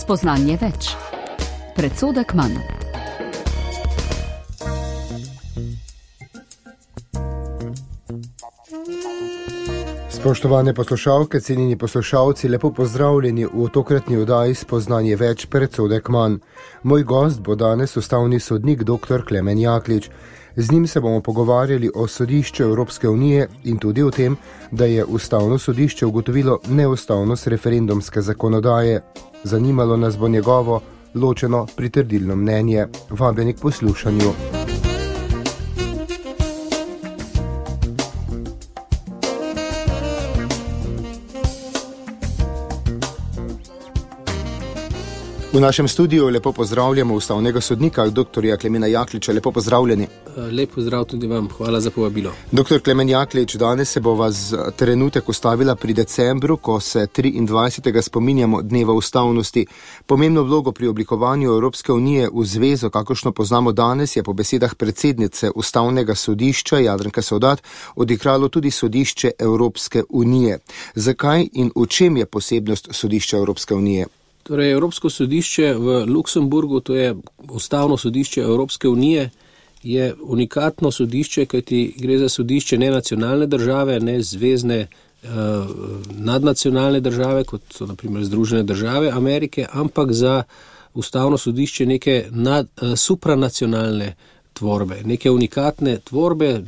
Spoznanje več. Predsodek manj. Spoštovane poslušalke, cenjeni poslušalci, lepo pozdravljeni v tokratni oddaji Spoznanje več, predsodek manj. Moj gost bo danes ustavni sodnik dr. Klemen Jaklič. Z njim se bomo pogovarjali o sodišču Evropske unije in tudi o tem, da je ustavno sodišče ugotovilo neustavnost referendumske zakonodaje. Zanimalo nas bo njegovo ločeno pritrdilno mnenje. Vabljeni k poslušanju. V našem studiu lepo pozdravljamo ustavnega sodnika, dr. Klemena Jakliča. Lepo pozdravljeni. Lep pozdrav tudi vam. Hvala za povabilo. Dr. Klemen Jaklič, danes se bo vas trenutek ustavila pri decembru, ko se 23. spominjamo dneva ustavnosti. Pomembno vlogo pri oblikovanju Evropske unije v zvezo, kakršno poznamo danes, je po besedah predsednice ustavnega sodišča Jadranke Sovdat odigralo tudi sodišče Evropske unije. Zakaj in v čem je posebnost sodišča Evropske unije? Torej, Evropsko sodišče v Luksemburgu, to je ustavno sodišče Evropske unije, je unikatno sodišče, kajti gre za sodišče ne nacionalne države, ne zvezne nadnacionalne države, kot so na primer Združene države Amerike, ampak za ustavno sodišče neke supranacionalne tvorbe, neke unikatne tvorbe,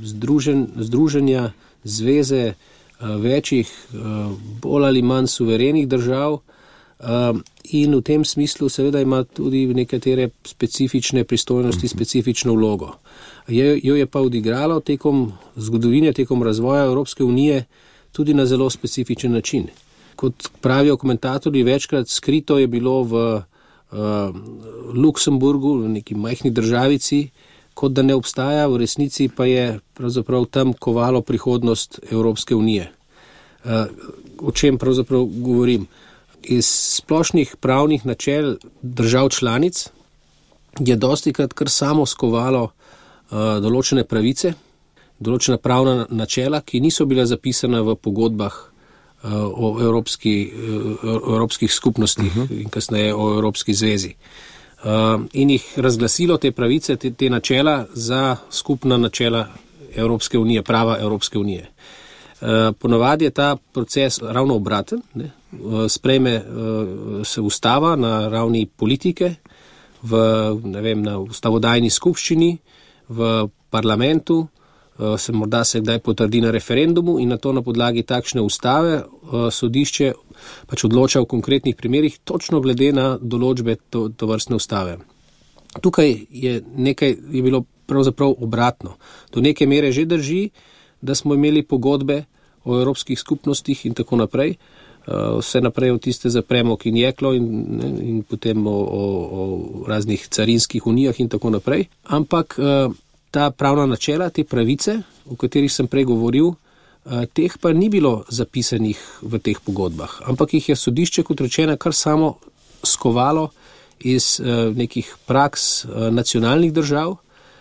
združenja, zveze večjih, bolj ali manj suverenih držav. In v tem smislu seveda ima tudi nekatere specifične pristojnosti, specifično vlogo. Jo je pa odigralo tekom zgodovine, tekom razvoja Evropske unije tudi na zelo specifičen način. Kot pravijo komentatorji, večkrat skrito je bilo v Luksemburgu, v neki majhni državici, kot da ne obstaja, v resnici pa je pravzaprav tam kovalo prihodnost Evropske unije. O čem pravzaprav govorim? Iz splošnih pravnih načel držav članic je dostikrat kar samo skovalo določene pravice, določena pravna načela, ki niso bila zapisana v pogodbah o evropskih skupnostih in kasneje o Evropski zvezi. In jih razglasilo te pravice, te načela za skupna načela Evropske unije, prava Evropske unije. Ponavadi je ta proces ravno obraten, sprejme se ustava na ravni politike, na ustavodajni skupščini, v parlamentu, morda se kdaj potrdi na referendumu in na to na podlagi takšne ustave sodišče pač odloča v konkretnih primerih točno glede na določbe tovrstne ustave. Tukaj je bilo pravzaprav obratno. Do neke mere že drži, da smo imeli pogodbe o evropskih skupnostih in tako naprej, vse naprej od tiste za premog in jeklo in potem o raznih carinskih unijah in tako naprej. Ampak ta pravna načela, te pravice, o katerih sem prej govoril, teh pa ni bilo zapisanih v teh pogodbah, ampak jih je sodišče, kot rečeno, kar samo skovalo iz nekih praks nacionalnih držav,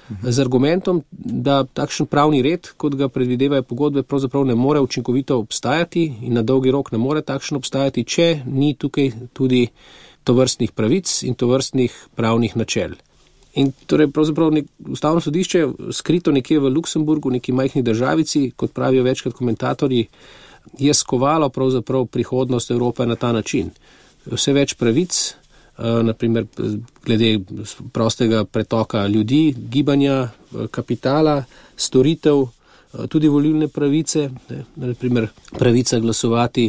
z argumentom, da takšen pravni red, kot ga predvidevajo pogodbe, pravzaprav ne more učinkovito obstajati in na dolgi rok ne more takšen obstajati, če ni tukaj tudi tovrstnih pravic in tovrstnih pravnih načel. In torej pravzaprav ustavno sodišče skrito nekje v Luksemburgu, neki majhni državici, kot pravijo večkrat komentatorji, je skovalo pravzaprav prihodnost Evrope na ta način. Vse več pravic, naprimer glede prostega pretoka ljudi, gibanja, kapitala, storitev, tudi volilne pravice, naprimer pravica glasovati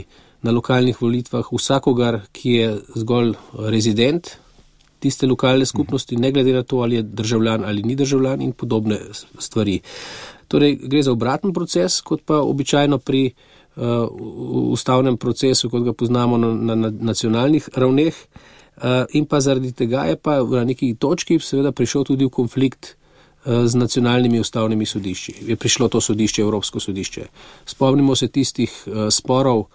na lokalnih volitvah vsakogar, ki je zgolj rezident tiste lokalne skupnosti, ne glede na to, ali je državljan ali ni državljan in podobne stvari. Torej, gre za obraten proces, kot pa običajno pri ustavnem procesu, kot ga poznamo na nacionalnih ravneh. In pa zaradi tega je pa na neki točki seveda prišel tudi v konflikt z nacionalnimi ustavnimi sodišči. Je prišlo to sodišče, Evropsko sodišče. Spomnimo se tistih sporov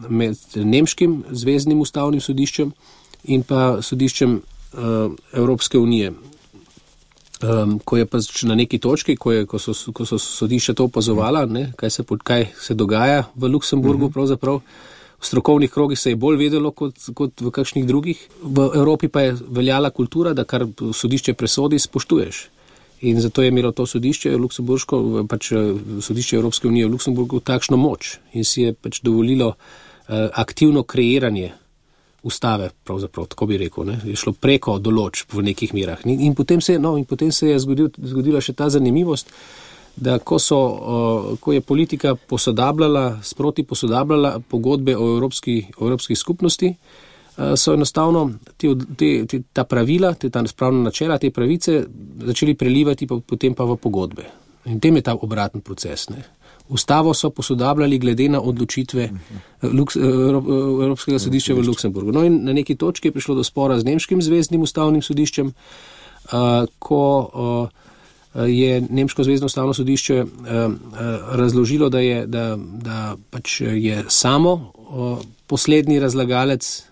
med nemškim zveznim ustavnim sodiščem in pa sodiščem Evropske unije. Ko je pa na neki točki, ko so sodišča to opazovala, kaj se dogaja v Luksemburgu pravzaprav, strokovnih krogih se je bolj vedelo kot v kakšnih drugih. V Evropi pa je veljala kultura, da kar sodišče presodi, spoštuješ. In zato je imelo to sodišče Luksemburško, pač sodišče Evropske unije v Luksemburgu takšno moč in si je pač dovolilo aktivno kreiranje ustave, pravzaprav, tako bi rekel, ne, je šlo preko določb v nekih merah. In potem se je zgodila še ta zanimivost, da ko je politika sproti posodabljala pogodbe o evropski skupnosti, so enostavno ta pravila, ta spravna načela, te pravice začeli prelivati potem pa v pogodbe. In tem je ta obraten proces. Ne. Ustavo so posodabljali glede na odločitve Evropskega sodišča v Luksemburgu. No in na neki točki je prišlo do spora z nemškim zvezdnim ustavnim sodiščem, ko je nemško zvezdno ustavno sodišče razložilo, da pač je samo poslednji razlagalec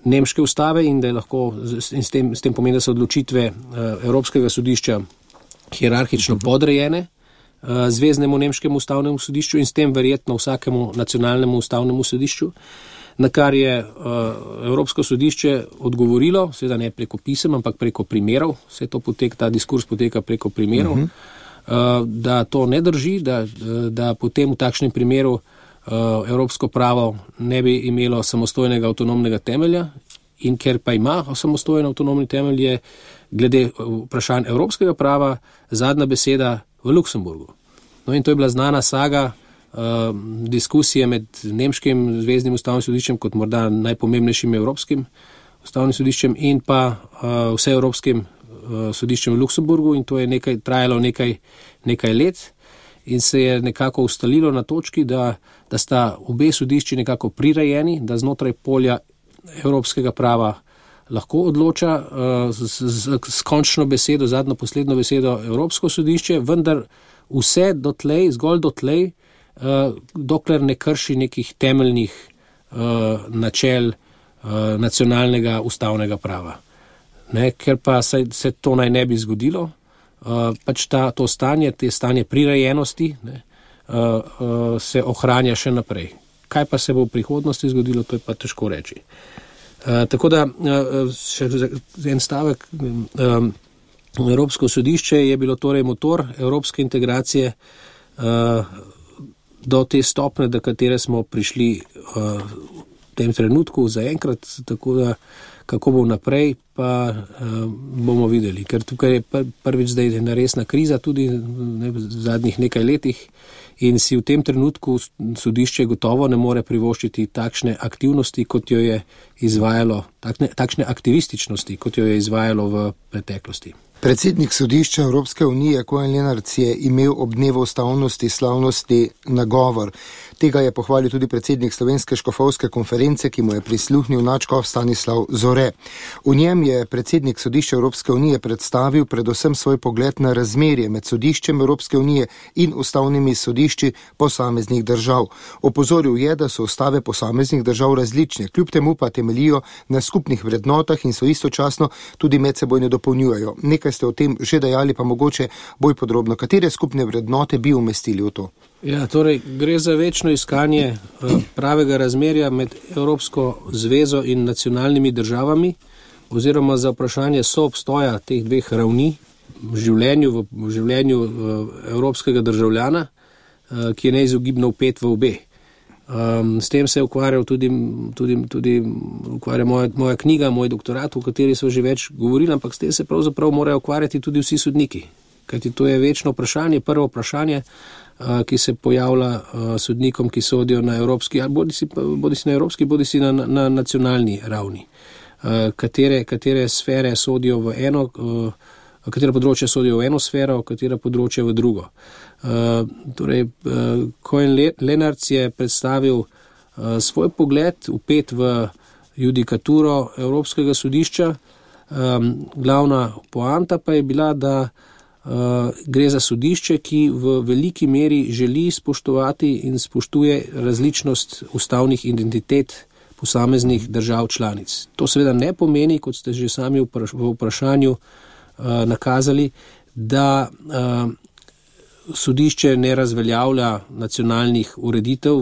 nemške ustave in da je lahko s tem pomeni, da so odločitve Evropskega sodišča hierarhično podrejene zveznemu nemškemu ustavnemu sodišču in s tem verjetno vsakemu nacionalnemu ustavnemu sodišču, na kar je Evropsko sodišče odgovorilo, seveda ne preko pisem, ampak preko primerov, ta diskurs poteka preko primerov, da to ne drži, da potem v takšnem primeru evropsko pravo ne bi imelo samostojnega avtonomnega temelja in ker pa ima samostojen avtonomni temelj, je glede vprašanj evropskega prava zadnja beseda v Luksemburgu. No in to je bila znana saga diskusije med nemškim zvezdnim ustavnim sodiščem kot morda najpomembnejšim evropskim ustavnim sodiščem in pa vseevropskim sodiščem v Luksemburgu in to je trajalo nekaj let in se je nekako ustalilo na točki, da sta obe sodišči nekako prirejeni, da znotraj polja evropskega prava lahko odloča s končno besedo, zadnjo poslednjo besedo Evropsko sodišče, vendar vse zgolj dotlej, dokler ne krši nekih temeljnih načel nacionalnega ustavnega prava. Ne, ker pa se to naj ne bi zgodilo, pač to stanje prirejenosti se ohranja še naprej. Kaj pa se bo v prihodnosti zgodilo, to je pa težko reči. Tako da še en stavek, Evropsko sodišče je bilo torej motor evropske integracije do te stopne, do katere smo prišli v tem trenutku zaenkrat, tako da kako bo naprej, pa bomo videli. Ker tukaj je prvič zdaj ena resna kriza tudi v zadnjih nekaj letih in si v tem trenutku sodišče gotovo ne more privoščiti takšne aktivnosti, kot jo je izvajalo, takšne aktivističnosti, kot jo je izvajalo v preteklosti. Predsednik sodišča Evropske unije Koen Lenarts je imel ob dnevu ustavnosti slavnosti nagovor. Tega je pohvalil tudi predsednik Slovenske škofovske konference, ki mu je prisluhnil nadškof Stanislav Zore. V njem je predsednik sodišča Evropske unije predstavil predvsem svoj pogled na razmerje med sodiščem Evropske unije in ustavnimi sodišči posameznih držav. Opozoril je, da so ustave posameznih držav različne, kljub temu pa temeljijo na skupnih vrednotah in so istočasno tudi medsebojno dopolnjujejo. Nekaj ste o tem že dejali, pa mogoče bolj podrobno. Katere skupne vrednote bi umestili v to? Ja, torej gre za večno iskanje pravega razmerja med Evropsko zvezo in nacionalnimi državami oziroma za vprašanje soobstoja teh dveh ravni v življenju evropskega državljana, ki je neizogibno vpet v obe. S tem se je ukvarjal tudi moja knjiga, moj doktorat, o kateri so že več govorili, ampak s tem se pravzaprav morajo ukvarjati tudi vsi sodniki. Kajti to je večno vprašanje, prvo vprašanje, ki se pojavlja sodnikom, ki sodijo na evropski, bodisi na evropski, bodisi na nacionalni ravni. Katere sfere sodijo v eno, katera področja sodijo v eno sfero, katera področja v drugo. Koen Lenarts je predstavil svoj pogled, vpet v judikaturo Evropskega sodišča. Glavna poanta pa je bila, da gre za sodišče, ki v veliki meri želi spoštovati in spoštuje različnost ustavnih identitet posameznih držav članic. To seveda ne pomeni, kot ste že sami v vprašanju nakazali, da sodišče ne razveljavlja nacionalnih ureditev,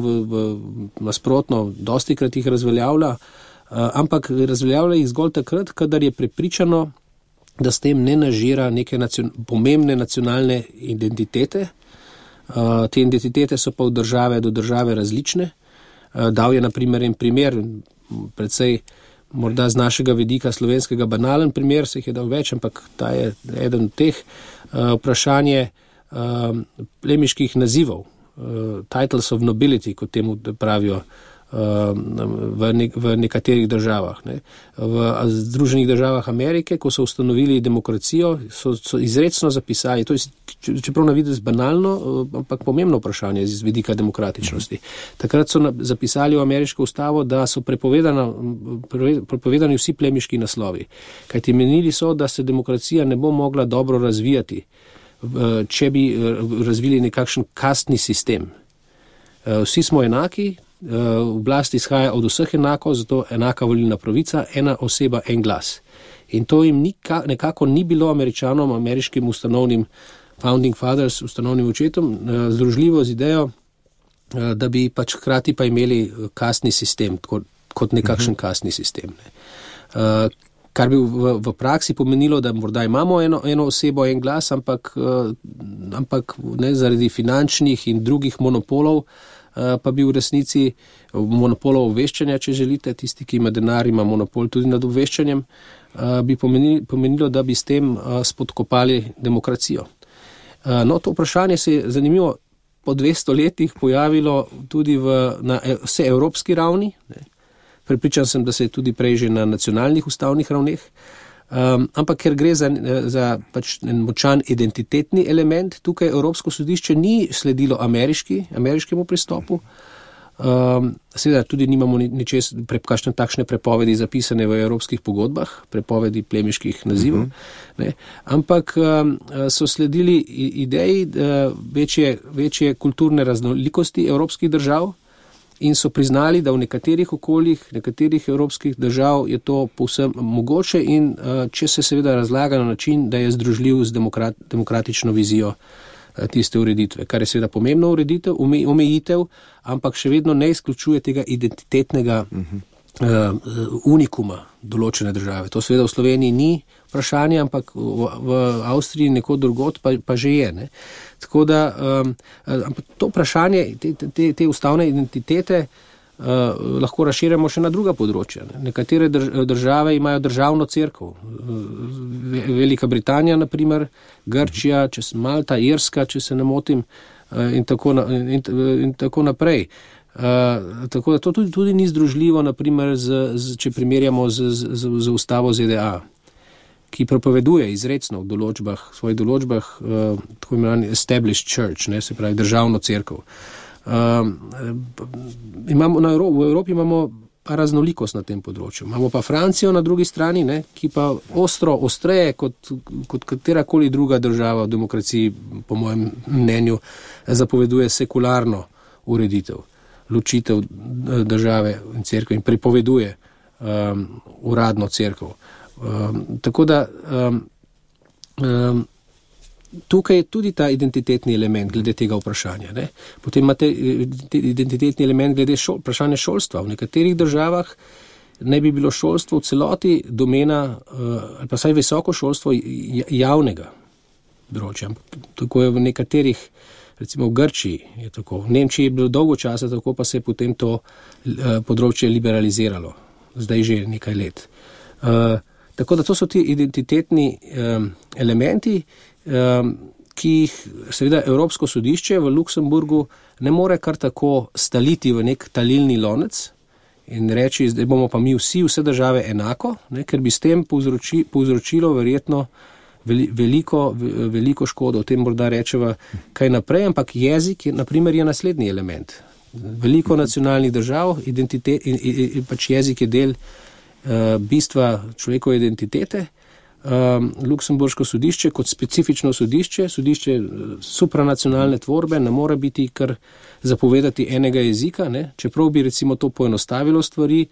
nasprotno, dostikrat jih razveljavlja, ampak razveljavlja jih zgolj takrat, kadar je prepričano, da s tem ne nažira neke pomembne nacionalne identitete. Te identitete so pa od države do države različne. Dal je na primer en primer, predvsej morda z našega vidika slovenskega banalen primer, se jih je dal več, ampak ta je eden od teh. Vprašanje plemiških nazivov, titles of nobility, kot temu pravijo v nekaterih državah. Ne. V Združenih državah Amerike, ko so ustanovili demokracijo, so izrecno zapisali, to je čeprav na videz banalno, ampak pomembno vprašanje z vidika demokratičnosti. Takrat so zapisali v ameriško ustavo, da so prepovedani vsi plemiški naslovi. Kajti menili so, da se demokracija ne bo mogla dobro razvijati, če bi razvili nekakšen kastni sistem. Vsi smo enaki, oblast izhaja od vseh enako, zato enaka volilna pravica, ena oseba, en glas. In to jim nekako ni bilo Američanom, ameriškim ustanovnim founding fathers, ustanovnim očetom, združljivo z idejo, da bi pač hkrati pa imeli kastni sistem, kot nekakšen kastni sistem. Ne. Kar bi v praksi pomenilo, da morda imamo eno osebo, en glas, ampak ne, zaradi finančnih in drugih monopolov, pa bi v resnici monopolov obveščanja, če želite, tisti, ki ima denar, ima monopol tudi nad obveščanjem, bi pomenilo, da bi s tem spodkopali demokracijo. No, to vprašanje se je zanimivo po 200 letih pojavilo tudi na vse evropski ravni. Prepričan sem, da se je tudi prej že na nacionalnih ustavnih ravneh. Ampak ker gre za pač en močan identitetni element, tukaj Evropsko sodišče ni sledilo ameriškemu pristopu. Seveda tudi nimamo kakšne takšne prepovedi zapisane v evropskih pogodbah, prepovedi plemiških nazivov, ne, ampak so sledili ideji večje kulturne raznolikosti evropskih držav in so priznali, da v nekaterih okoljih, nekaterih evropskih držav je to povsem mogoče in če se seveda razlaga na način, da je združljiv z demokratično vizijo tiste ureditve, kar je seveda pomembna omejitev, ampak še vedno ne izključuje tega identitetnega unikuma določene države. To seveda v Sloveniji ni vprašanje, ampak v Avstriji nekod drugod pa že je. Ne. Tako da to vprašanje, te ustavne identitete lahko razširjamo še na druga področja. Nekatere države imajo državno cerkev. Velika Britanija, na primer, Grčija, Malta, Irska, če se ne motim, in tako naprej. Tako da to tudi ni združljivo, naprimer, če primerjamo z ustavo ZDA, ki prepoveduje izrecno v svojih določbah tako imenovani established church, ne, se pravi državno cerkev. V Evropi imamo pa raznolikost na tem področju. Imamo pa Francijo na drugi strani, ne, ki pa ostreje kot katerakoli druga država v demokraciji, po mojem mnenju, zapoveduje sekularno ureditev, ločitev države in cerkve in prepoveduje uradno cerkev. Tako da tukaj je tudi ta identitetni element glede tega vprašanja. Ne. Potem imate identitetni element glede vprašanja šolstva. V nekaterih državah ne bi bilo šolstvo v celoti domena, ali pa vsaj visoko šolstvo javnega področja. Tako je v nekaterih, recimo v Grčiji je tako, v Nemčiji je bilo dolgo časa tako, pa se je potem to področje liberaliziralo. Zdaj že nekaj let. Tako da to so ti identitetni elementi, ki jih seveda Evropsko sodišče v Luksemburgu ne more kar tako staliti v nek talilni lonec in reči, zdaj bomo pa mi vse države enako, ne, ker bi s tem povzročilo verjetno veliko škodo. O tem morda rečeva kaj naprej, ampak jezik na primer je naslednji element. Veliko nacionalnih držav, pač jezik je del bistva človekove identitete. Luksemburško sodišče kot specifično sodišče supranacionalne tvorbe ne more biti kar zapovedati enega jezika, ne? Čeprav bi recimo to poenostavilo stvari,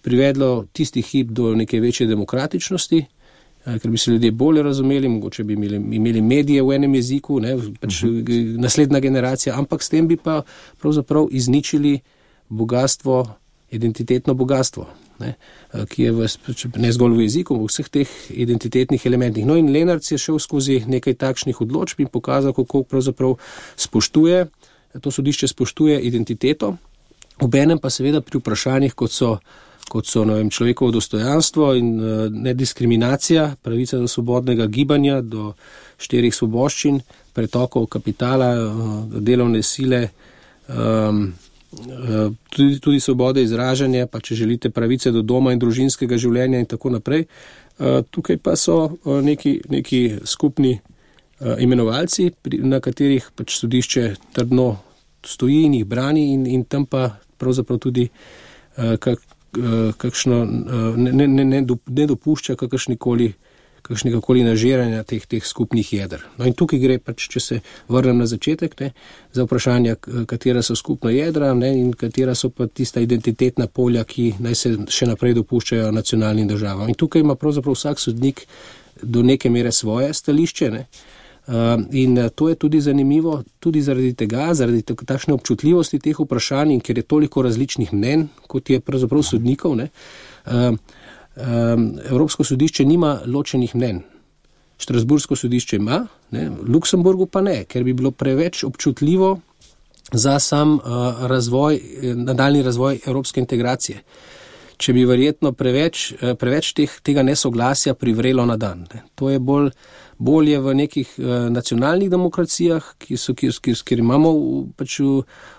privedlo tisti hip do neke večje demokratičnosti ker bi se ljudje bolje razumeli, mogoče bi imeli medije v enem jeziku, ne, pač naslednja generacija, ampak s tem bi pa pravzaprav izničili bogatstvo, identitetno bogatstvo, ne, ki je ne zgolj v jeziku, v vseh teh identitetnih elementih. No in Lenarc je šel skozi nekaj takšnih odločb in pokazal, kako pravzaprav to sodišče spoštuje identiteto, obenem pa seveda pri vprašanjih, kot so človekovo dostojanstvo in nediskriminacija, pravica do svobodnega gibanja, do 4 svoboščin, pretokov kapitala, delovne sile, tudi svobode izražanja, pa če želite pravice do doma in družinskega življenja in tako naprej. Tukaj pa so neki skupni imenovalci, na katerih pač sodišče trdno stoji in jih brani in tam pa pravzaprav tudi kakšno ne dopušča kakršnegakoli nažiranja teh skupnih jeder. No in tukaj gre pač, če se vrnem na začetek, ne, za vprašanja, katera so skupna jedra, ne, in katera so pa tista identitetna polja, ki naj se še naprej dopuščajo nacionalnim državam. In tukaj ima pravzaprav vsak sodnik do neke mere svoje stališče, ne. In to je tudi zanimivo, tudi zaradi tega, zaradi takšne občutljivosti teh vprašanj in ker je toliko različnih mnenj, kot je pravzaprav sodnikov, ne, Evropsko sodišče nima ločenih mnenj. Štrasburško sodišče ima, ne, v Luksemburgu pa ne, ker bi bilo preveč občutljivo za sam nadaljni razvoj evropske integracije. Če bi verjetno preveč tega nesoglasja privrelo na dan. Ne. To je bolje v nekih nacionalnih demokracijah, kjer imamo pač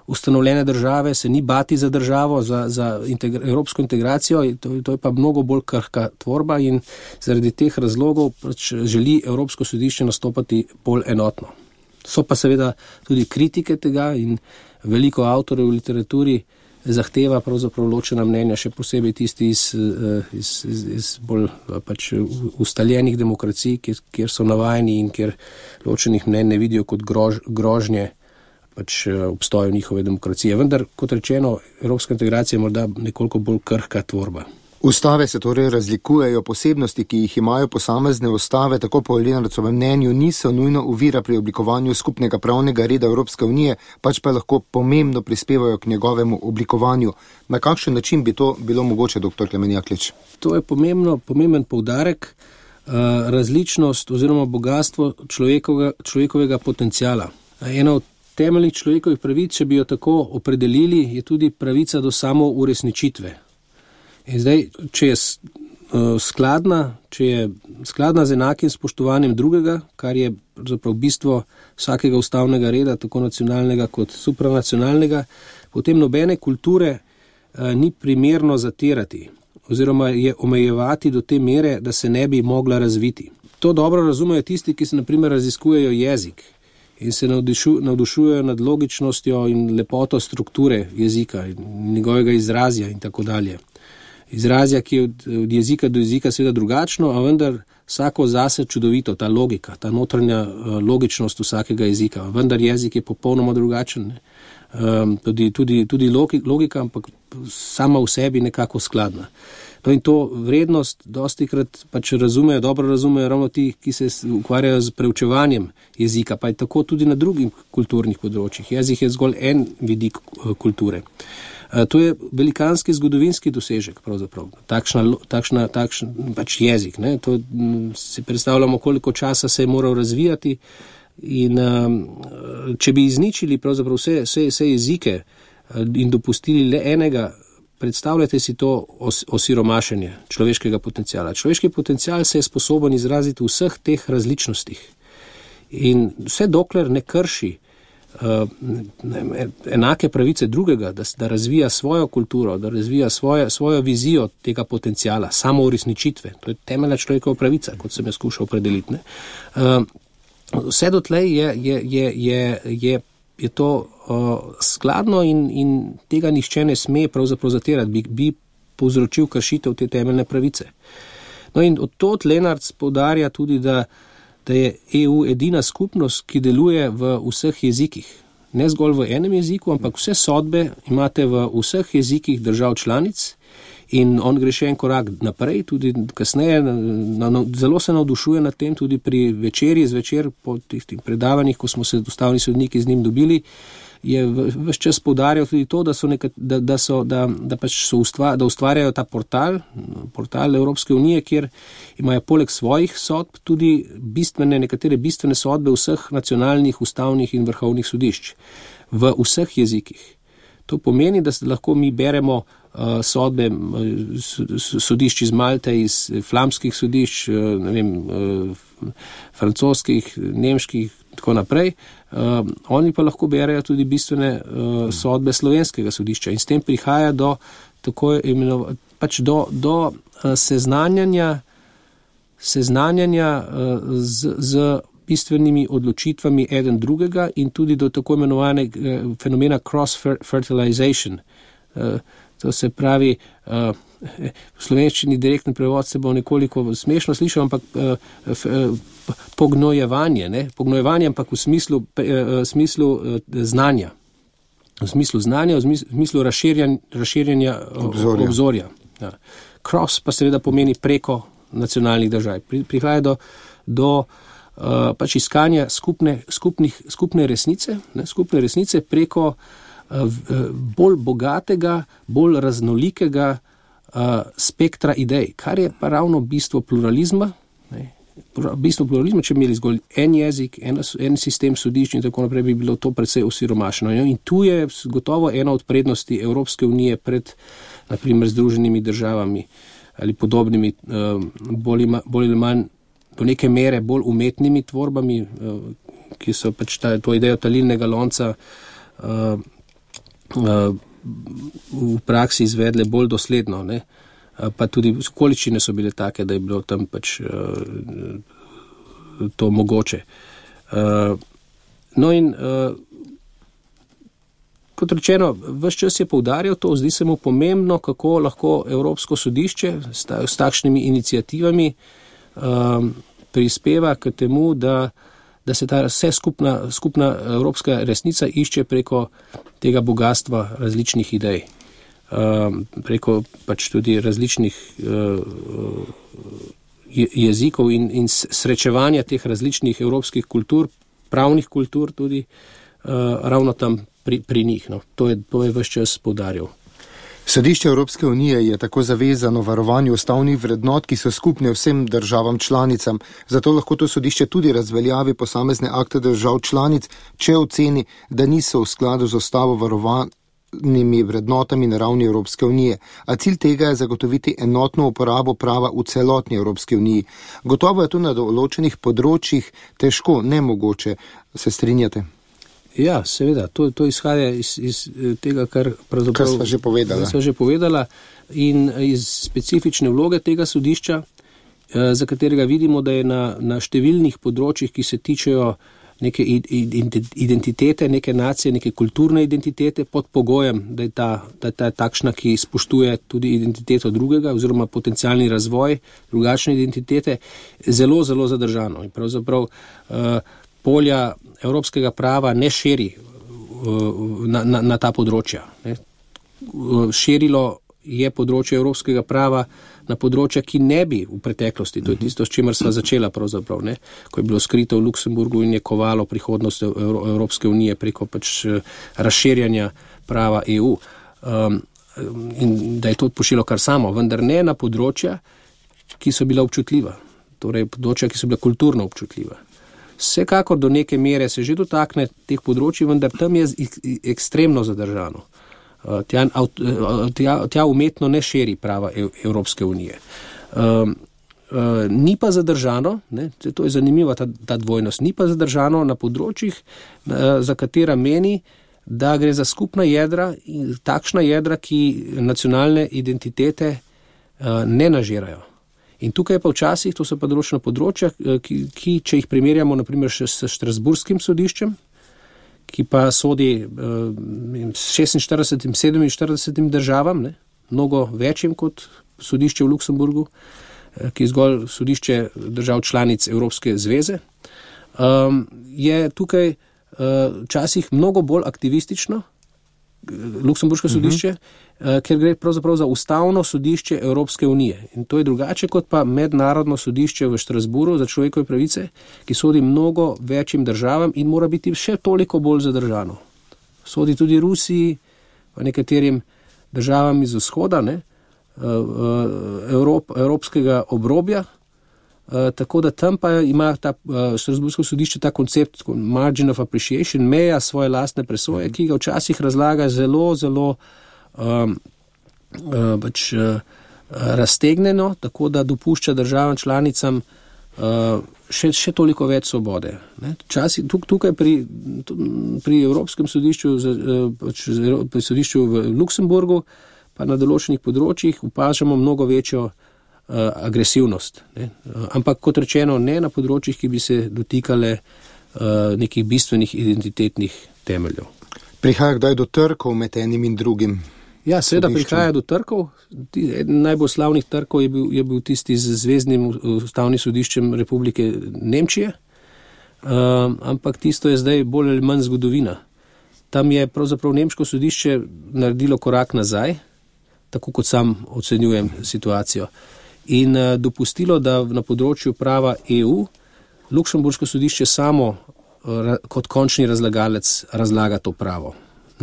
ustanovljene države, se ni bati za državo, za evropsko integracijo, to je pa mnogo bolj krhka tvorba in zaradi teh razlogov pač želi Evropsko sodišče nastopati bolj enotno. So pa seveda tudi kritike tega in veliko avtorjev v literaturi zahteva pravzaprav ločena mnenja, še posebej tisti iz bolj pač ustaljenih demokracij, kjer so navajeni in kjer ločenih mnenj ne vidijo kot grožnje pač obstoju njihove demokracije. Vendar, kot rečeno, evropska integracija je morda nekoliko bolj krhka tvorba. Ustave se torej razlikujejo, posebnosti, ki jih imajo posamezne ustave, tako po Lenarcovem mnenju, niso nujno ovira pri oblikovanju skupnega pravnega reda Evropske unije, pač pa lahko pomembno prispevajo k njegovemu oblikovanju. Na kakšen način bi to bilo mogoče, dr. Klemen Jaklič? To je pomemben poudarek, različnost oziroma bogatstvo človekovega potenciala. Ena od temeljnih človekovih pravic, če bi jo tako opredelili, je tudi pravica do samouresničitve. In zdaj, če je skladna z enakim spoštovanjem drugega, kar je zapravo bistvo vsakega ustavnega reda, tako nacionalnega kot supranacionalnega, potem nobene kulture ni primerno zatirati oziroma je omejevati do te mere, da se ne bi mogla razviti. To dobro razumejo tisti, ki se na primer raziskujejo jezik in se navdušujejo nad logičnostjo in lepoto strukture jezika in njegovega izrazja in tako dalje. Izrazja, ki je od jezika do jezika seveda drugačno, a vendar vsako zase čudovito, ta logika, ta notranja logičnost vsakega jezika. Vendar jezik je popolnoma drugačen. Tudi logika, ampak sama v sebi nekako skladna. No in to vrednost dostikrat pač dobro razumejo ravno ti, ki se ukvarjajo z preučevanjem jezika, pa je tako tudi na drugih kulturnih področjih. Jezik je zgolj en vidik kulture. To je velikanski zgodovinski dosežek, pravzaprav. Takšen pač jezik. Ne? To si predstavljamo, koliko časa se je moral razvijati in če bi izničili pravzaprav vse jezike in dopustili le enega, predstavljate si to osiromašenje človeškega potencijala. Človeški potencijal se je sposoben izraziti v vseh teh različnostih. In vse dokler ne krši enake pravice drugega, da razvija svojo kulturo, da razvija svojo vizijo tega potencijala, samouresničitve. To je temeljna človekova pravica, kot sem jo skušal opredeliti. Vse dotlej je to skladno in tega nihče ne sme pravzaprav zatirati, bi povzročil kršitev te temeljne pravice. No in od tod Lenarc poudarja tudi, da je EU edina skupnost, ki deluje v vseh jezikih. Ne zgolj v enem jeziku, ampak vse sodbe imate v vseh jezikih držav članic In on gre še en korak naprej, tudi kasneje, zelo se navdušuje nad tem, tudi pri zvečer po tistih predavanjih, ko smo se ustavni sodniki z njim dobili, je ves čas poudarjal tudi to, da ustvarjajo ta portal Evropske unije, kjer imajo poleg svojih sodb tudi nekatere bistvene sodbe vseh nacionalnih, ustavnih in vrhovnih sodišč v vseh jezikih. To pomeni, da lahko mi beremo sodbe sodišč iz Malte, iz flamskih sodišč, francoskih, nemških, tako naprej. Oni pa lahko berejo tudi bistvene sodbe slovenskega sodišča in s tem prihaja do seznanjanja z bistvenimi odločitvami eden drugega in tudi do tako imenovanega fenomena cross-fertilization. To se pravi, v slovenščini direktni prevod se bo nekoliko smešno slišal, ampak pognojevanje, ampak v smislu znanja. V smislu znanja, v smislu razširjanja obzorja. Ja. Cross pa seveda pomeni preko nacionalnih držav. Prihaja do iskanja skupne resnice preko bolj bogatega, bolj raznolikega spektra idej, kar je pa ravno bistvo pluralizma. Bistvo pluralizma, če bi imeli zgolj en jezik, en sistem sodišč in tako naprej, bi bilo to precej osiromašeno. In tu je gotovo ena od prednosti Evropske unije pred, naprimer, Združenimi državami ali podobnimi, bolj ali manj do neke mere bolj umetnimi tvorbami, ki so pač to idejo talilnega lonca v praksi izvedle bolj dosledno, ne? Pa tudi okoliščine so bile take, da je bilo tam pač to mogoče. No in kot rečeno, ves čas je poudarjal to, zdi se mu pomembno, kako lahko Evropsko sodišče s takšnimi iniciativami prispeva k temu, da se ta vse skupna evropska resnica išče preko tega bogatstva različnih idej, preko pač tudi različnih jezikov in srečevanja teh različnih evropskih kultur, pravnih kultur tudi ravno tam pri njih. No. To je ves čas poudarjal. Sodišče Evropske unije je tako zavezano varovanju ustavnih vrednot, ki so skupne vsem državam članicam. Zato lahko to sodišče tudi razveljavi posamezne akte držav članic, če oceni, da niso v skladu z ustavo varovanimi vrednotami na ravni Evropske unije. A cilj tega je zagotoviti enotno uporabo prava v celotni Evropski uniji. Gotovo je to na določenih področjih težko, nemogoče. Se strinjate? Ja, seveda, to izhaja iz tega, kar sva že povedala in iz specifične vloge tega sodišča, za katerega vidimo, da je na številnih področjih, ki se tičejo neke identitete, neke nacije, neke kulturne identitete pod pogojem, da je ta takšna, ki spoštuje tudi identiteto drugega oziroma potencialni razvoj drugačne identitete, zelo, zelo zadržano. In pravzaprav polja evropskega prava ne širi na ta področja. Ne. Širilo je področje evropskega prava na področja, ki ne bi v preteklosti, to je tisto, s čimer sva začela pravzaprav, ne, ko je bilo skrito v Luksemburgu in je kovalo prihodnost Evropske unije preko pač razširjanja prava EU. In da je to pošilo kar samo, vendar ne na področja, ki so bila občutljiva, torej področja, ki so bila kulturno občutljiva. Vsekakor do neke mere se že dotakne teh področji, vendar tam je ekstremno zadržano. Tja umetno ne širi prava Evropske unije. Ni pa zadržano, ne, to je zanimiva ta dvojnost, ni pa zadržano na področjih, za katera meni, da gre za skupna jedra, takšna jedra, ki nacionalne identitete ne nažirajo. In tukaj pa včasih, to so pa določena področja, ki če jih primerjamo naprimer še s Strasburskim sodiščem, ki pa sodi 46 in 47 državam, ne, mnogo večjim kot sodišče v Luksemburgu, ki je zgolj sodišče držav članic Evropske zveze, je tukaj včasih mnogo bolj aktivistično Luksemburško sodišče, ker gre pravzaprav za ustavno sodišče Evropske unije. In to je drugače kot pa mednarodno sodišče v Štrasburu za človekove pravice, ki sodi mnogo večjim državam in mora biti še toliko bolj zadržano. Sodi tudi Rusiji, pa nekaterim državam iz vzhoda, evropskega obrobja, tako da tam pa ima ta Štrasbursko sodišče ta koncept margin of appreciation, meja svoje lastne presoje, ki ga včasih razlaga zelo, zelo raztegnjeno, tako da dopušča državam članicam še toliko več svobode. Tukaj pri Evropskem sodišču, pri sodišču v Luksemburgu, pa na določenih področjih opažamo mnogo večjo agresivnost. Ampak kot rečeno, ne na področjih, ki bi se dotikale nekih bistvenih identitetnih temeljev. Prihaja kdaj do trkov med enim in drugim? Ja, seveda prihaja do trkov. Eden najbolj slavnih trkov je bil tisti z Zvezdnim ustavnim sodiščem Republike Nemčije, ampak tisto je zdaj bolj ali manj zgodovina. Tam je pravzaprav nemško sodišče naredilo korak nazaj, tako kot sam ocenjujem situacijo, in dopustilo, da na področju prava EU Luksemburško sodišče samo kot končni razlagalec razlaga to pravo.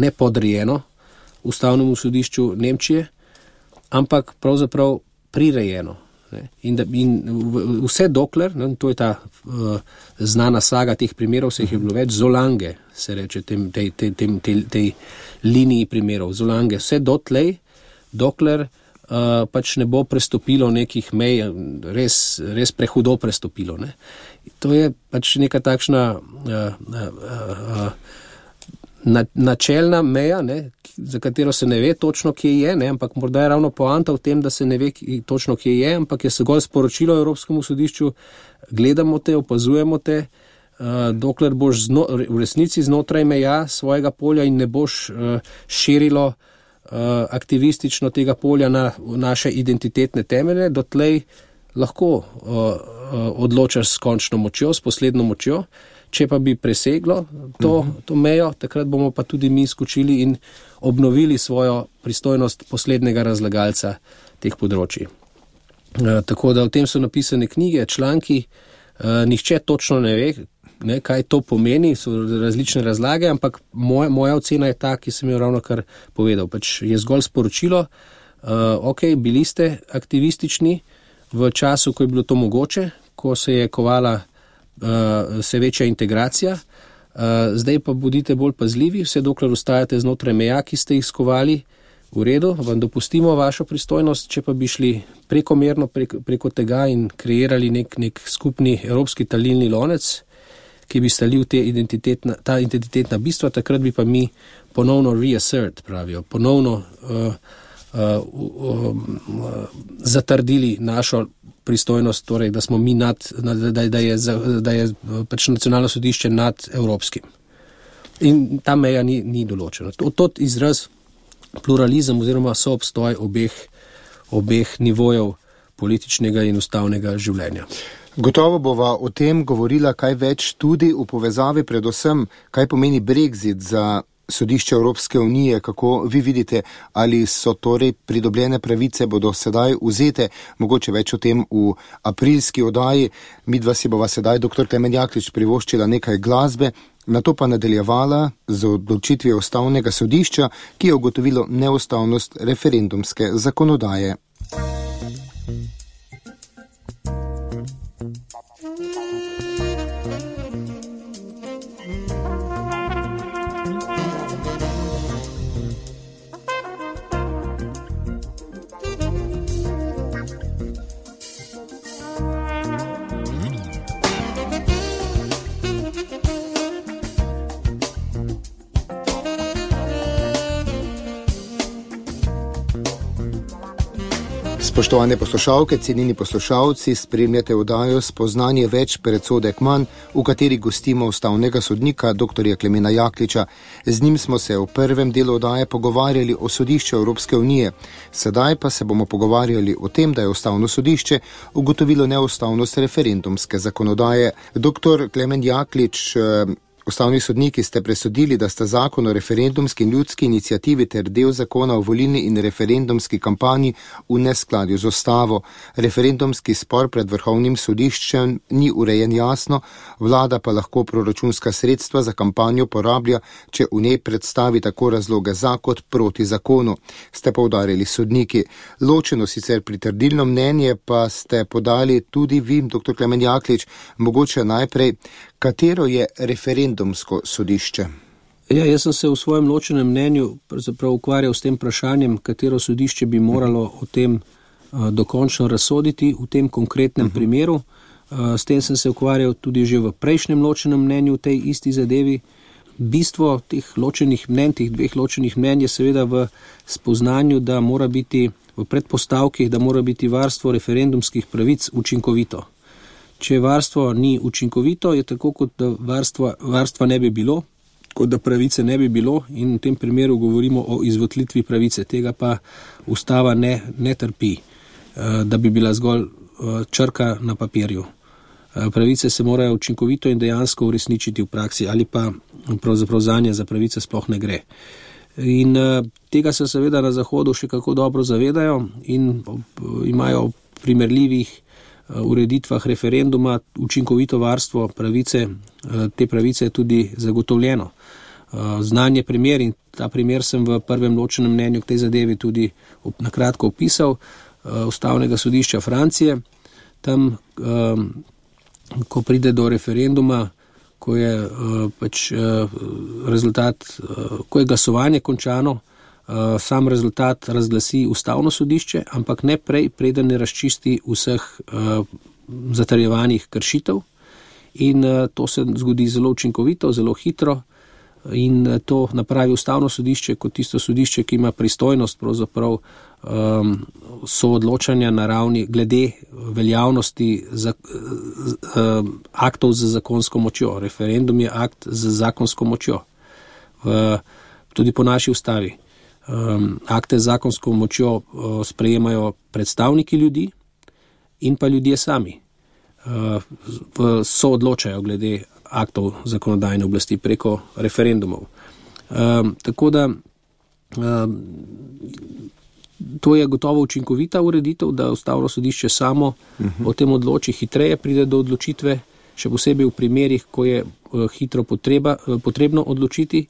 Ne podrejeno ustavnemu sodišču Nemčije, ampak pravzaprav prirejeno. In vse dokler, to je ta znana saga teh primerov, se jih je bilo več, Zolange se reče tej liniji primerov, Zolange, vse dokler pač ne bo prestopilo nekih mej, res prehudo prestopilo. To je pač neka takšna načelna meja, za katero se ne ve točno, kje je, ampak morda je ravno poanta v tem, da se ne ve točno, kje je, ampak je zgolj sporočilo Evropskemu sodišču, gledamo te, opazujemo te, dokler boš v resnici znotraj meja svojega polja in ne boš širilo aktivistično tega polja na naše identitetne temelje, dotlej lahko odločaš s končno močjo, s posledno močjo. Če pa bi preseglo to mejo, takrat bomo pa tudi mi skočili in obnovili svojo pristojnost poslednjega razlagalca teh področij. Tako da v tem so napisane knjige, članki, nihče točno ne ve, kaj to pomeni, so različne razlage, ampak moja ocena je ta, ki sem jo ravno kar povedal. Pač je zgolj sporočilo, bili ste aktivistični v času, ko je bilo to mogoče, ko se je kovala vse večja integracija, zdaj pa bodite bolj pazljivi, vse dokler ostajate znotraj meja, ki ste jih skovali, v redu, vam dopustimo vašo pristojnost, če pa bi šli prekomerno preko tega in kreirali nek skupni evropski talilni lonec, ki bi stalil ta identitetna bistva, takrat bi pa mi ponovno reassert, pravijo, ponovno zatrdili našo pristojnost, torej, da smo mi da je pač nacionalno sodišče nad evropskim. In ta meja ni določena. To izraz pluralizem oziroma soobstoj obeh nivojev političnega in ustavnega življenja. Gotovo bova o tem govorila kaj več tudi v povezavi predvsem, kaj pomeni Brexit za sodišče Evropske unije, kako vi vidite, ali so torej pridobljene pravice bodo sedaj vzete, mogoče več o tem v aprilski oddaji. Midva si bova sedaj, dr. Klemen Jaklič, privoščila nekaj glasbe, nato pa nadaljevala z odločitvijo ustavnega sodišča, ki je ugotovilo neustavnost referendumske zakonodaje. Spoštovane poslušalke, cenjeni poslušalci, spremljate oddajo Spoznanje več predsodek manj, v kateri gostimo ustavnega sodnika dr. Klemena Jakliča. Z njim smo se v prvem delu oddaje pogovarjali o sodišču Evropske unije. Sedaj pa se bomo pogovarjali o tem, da je ustavno sodišče ugotovilo neustavnost referendumske zakonodaje. Dr. Klemen Jaklič, Ustavni sodniki ste presodili, da sta zakon o referendumski in ljudski inicijativi ter del zakona o volilni in referendumski kampanji v neskladju z ustavo. Referendumski spor pred Vrhovnim sodiščem ni urejen jasno, vlada pa lahko proračunska sredstva za kampanjo porablja, če v njej predstavi tako razloge za kot proti zakonu, ste poudarili sodniki. Ločeno sicer pritrdilno mnenje pa ste podali tudi vi, dr. Klemen Jaklič. Mogoče najprej, katero je referendumsko sodišče? Ja, jaz sem se v svojem ločenem mnenju ukvarjal s tem vprašanjem, katero sodišče bi moralo o tem dokončno razsoditi v tem konkretnem primeru. S tem sem se ukvarjal tudi že v prejšnjem ločenem mnenju v tej isti zadevi. Bistvo teh ločenih mnenj, teh dveh ločenih mnenj je seveda v spoznanju, da mora biti v predpostavkih, da mora biti varstvo referendumskih pravic učinkovito. Če varstvo ni učinkovito, je tako, kot da varstva ne bi bilo, kot da pravice ne bi bilo, in v tem primeru govorimo o izvotlitvi pravice. Tega pa ustava ne trpi, da bi bila zgolj črka na papirju. Pravice se morajo učinkovito in dejansko uresničiti v praksi, ali pa pravzaprav zanje za pravice sploh ne gre. In tega se seveda na Zahodu še kako dobro zavedajo in imajo primerljivih ureditvah referenduma učinkovito varstvo pravice, te pravice je tudi zagotovljeno. Znan je primer, in ta primer sem v prvem ločenem mnenju k tej zadevi tudi nakratko opisal, Ustavnega sodišča Francije. Tam, ko pride do referenduma, ko je ko je glasovanje končano, sam rezultat razglasi Ustavno sodišče, ampak ne prej, preden ne razčisti vseh zatrjevanih kršitev. In to se zgodi zelo učinkovito, zelo hitro, in to napravi Ustavno sodišče kot tisto sodišče, ki ima pristojnost pravzaprav soodločanja na ravni glede veljavnosti aktov z zakonsko močjo. Referendum je akt z zakonsko močjo. Tudi po naši ustavi. Akte z zakonsko močjo sprejemajo predstavniki ljudi in pa ljudje sami. Soodločajo glede aktov zakonodajne oblasti preko referendumov. Tako da to je gotovo učinkovita ureditev, da Ustavno sodišče samo o tem odloči, hitreje pride do odločitve, še posebej v primerih, ko je hitro potrebno odločiti.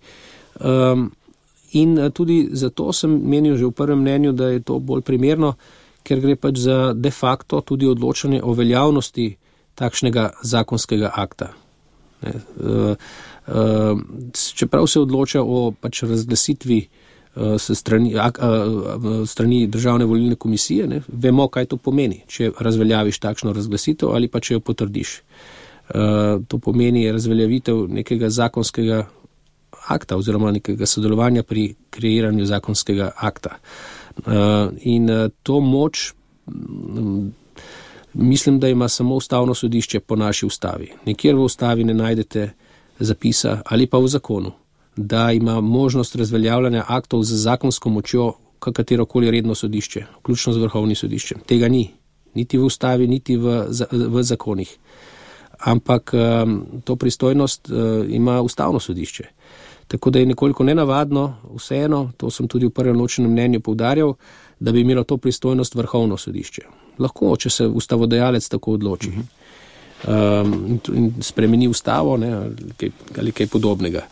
In tudi zato sem menil že v prvem mnenju, da je to bolj primerno, ker gre pač za de facto tudi odločanje o veljavnosti takšnega zakonskega akta. Čeprav se odloča o pač razglasitvi strani Državne volilne komisije, vemo, kaj to pomeni, če razveljaviš takšno razglasitev ali pa če jo potrdiš. To pomeni razveljavitev nekega zakonskega akta oziroma nekega sodelovanja pri kreiranju zakonskega akta. In to moč mislim, da ima samo Ustavno sodišče po naši ustavi. Nikjer v ustavi ne najdete zapisa ali pa v zakonu, da ima možnost razveljavljanja aktov z zakonsko močjo katerokoli redno sodišče, vključno z Vrhovnim sodiščem. Tega ni, niti v ustavi, niti v zakonih. Ampak to pristojnost ima Ustavno sodišče. Tako da je nekoliko nenavadno, vseeno, to sem tudi v prvem ločenem mnenju poudarjal, da bi imelo to pristojnost Vrhovno sodišče. Lahko, če se ustavodajalec tako odloči in spremeni ustavo, ali kaj podobnega.